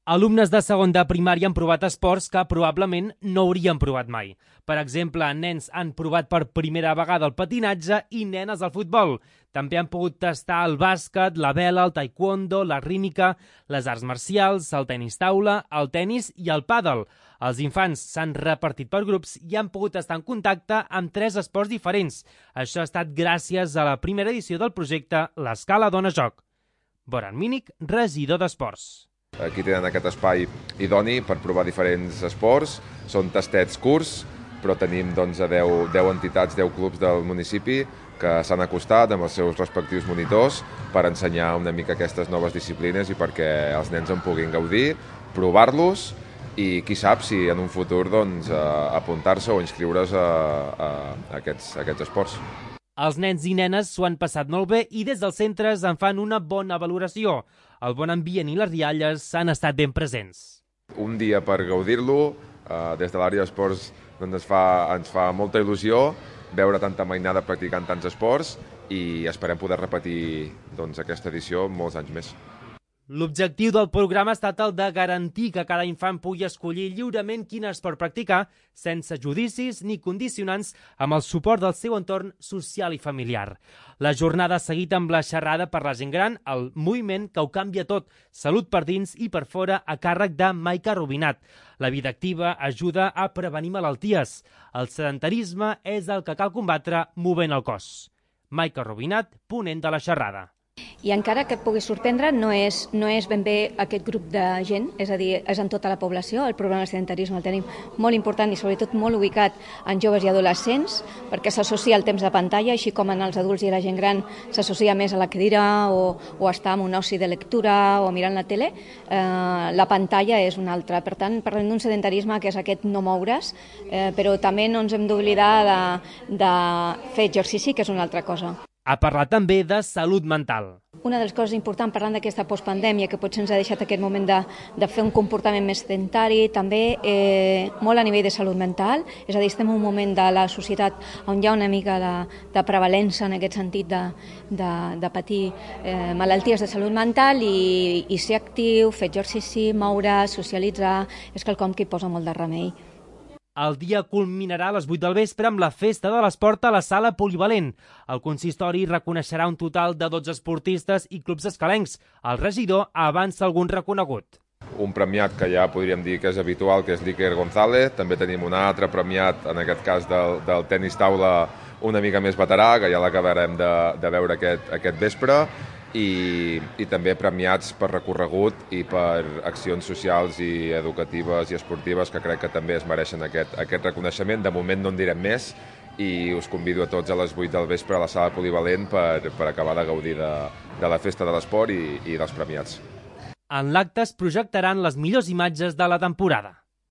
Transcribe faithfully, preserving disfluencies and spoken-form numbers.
Alumnes de segon de primària han provat esports que probablement no haurien provat mai. Per exemple, nens han provat per primera vegada el patinatge i nenes el futbol. També han pogut tastar el bàsquet, la vela, el taekwondo, la rítmica, les arts marcials, el tenis taula, el tenis i el pàdel. Els infants s'han repartit per grups i han pogut estar en contacte amb tres esports diferents. Això ha estat gràcies a la primera edició del projecte L'Escala Dona Joc. Boran Mínic, regidor d'Esports. Aquí tenen aquest espai idoni per provar diferents esports. Són tastets curts, però tenim doncs, deu, deu entitats, deu clubs del municipi que s'han acostat amb els seus respectius monitors per ensenyar una mica aquestes noves disciplines i perquè els nens en puguin gaudir, provar-los i qui sap si en un futur doncs, apuntar-se o inscriure's a, a, a, aquests, a aquests esports. Els nens i nenes s'ho han passat molt bé i des dels centres en fan una bona valoració. El bon ambient i les rialles han estat ben presents. Un dia per gaudir-lo, eh, des de l'àrea d'esports doncs ens, fa, ens fa molta il·lusió veure tanta mainada practicant tants esports i esperem poder repetir doncs, aquesta edició molts anys més. L'objectiu del programa ha estat el de garantir que cada infant pugui escollir lliurement quin esport practicar sense judicis ni condicionants amb el suport del seu entorn social i familiar. La jornada ha seguit amb la xerrada per la gent gran, el moviment que ho canvia tot, salut per dins i per fora a càrrec de Maica Rubinat. La vida activa ajuda a prevenir malalties. El sedentarisme és el que cal combatre movent el cos. Maica Rubinat, ponent de la xerrada. I encara que et pugui sorprendre, no és, no és ben bé aquest grup de gent, és a dir, és en tota la població. El problema del sedentarisme el tenim molt important i sobretot molt ubicat en joves i adolescents, perquè s'associa al temps de pantalla, així com en els adults i la gent gran s'associa més a la cadira o, o estar en un oci de lectura o mirant la tele. Eh, la pantalla és una altra. Per tant, parlem d'un sedentarisme que és aquest no moure's, eh, però també no ens hem d'oblidar de, de fer exercici, que és una altra cosa. Ha parlat també de salut mental. Una de les coses importants parlant d'aquesta postpandèmia que potser ens ha deixat aquest moment de, de fer un comportament més sedentari, també eh, molt a nivell de salut mental, és a dir, estem en un moment de la societat on hi ha una mica de, de prevalença en aquest sentit de, de, de patir eh, malalties de salut mental i, i ser actiu, fer exercici, moure, socialitzar, és quelcom que hi posa molt de remei. El dia culminarà a les vuit del vespre amb la festa de l'esport a la sala polivalent. El consistori reconeixerà un total de dotze esportistes i clubs escalencs. El regidor avança algun reconegut. Un premiat que ja podríem dir que és habitual, que és l'Iker González. També tenim un altre premiat, en aquest cas del, del tenis taula, una mica més veterà, que ja l'acabarem de, de veure aquest, aquest vespre. I, i també premiats per recorregut i per accions socials i educatives i esportives que crec que també es mereixen aquest, aquest reconeixement. De moment no en direm més i us convido a tots a les vuit del vespre a la sala polivalent per, per acabar de gaudir de, de la festa de l'esport i, i dels premiats. En l'acte es projectaran les millors imatges de la temporada.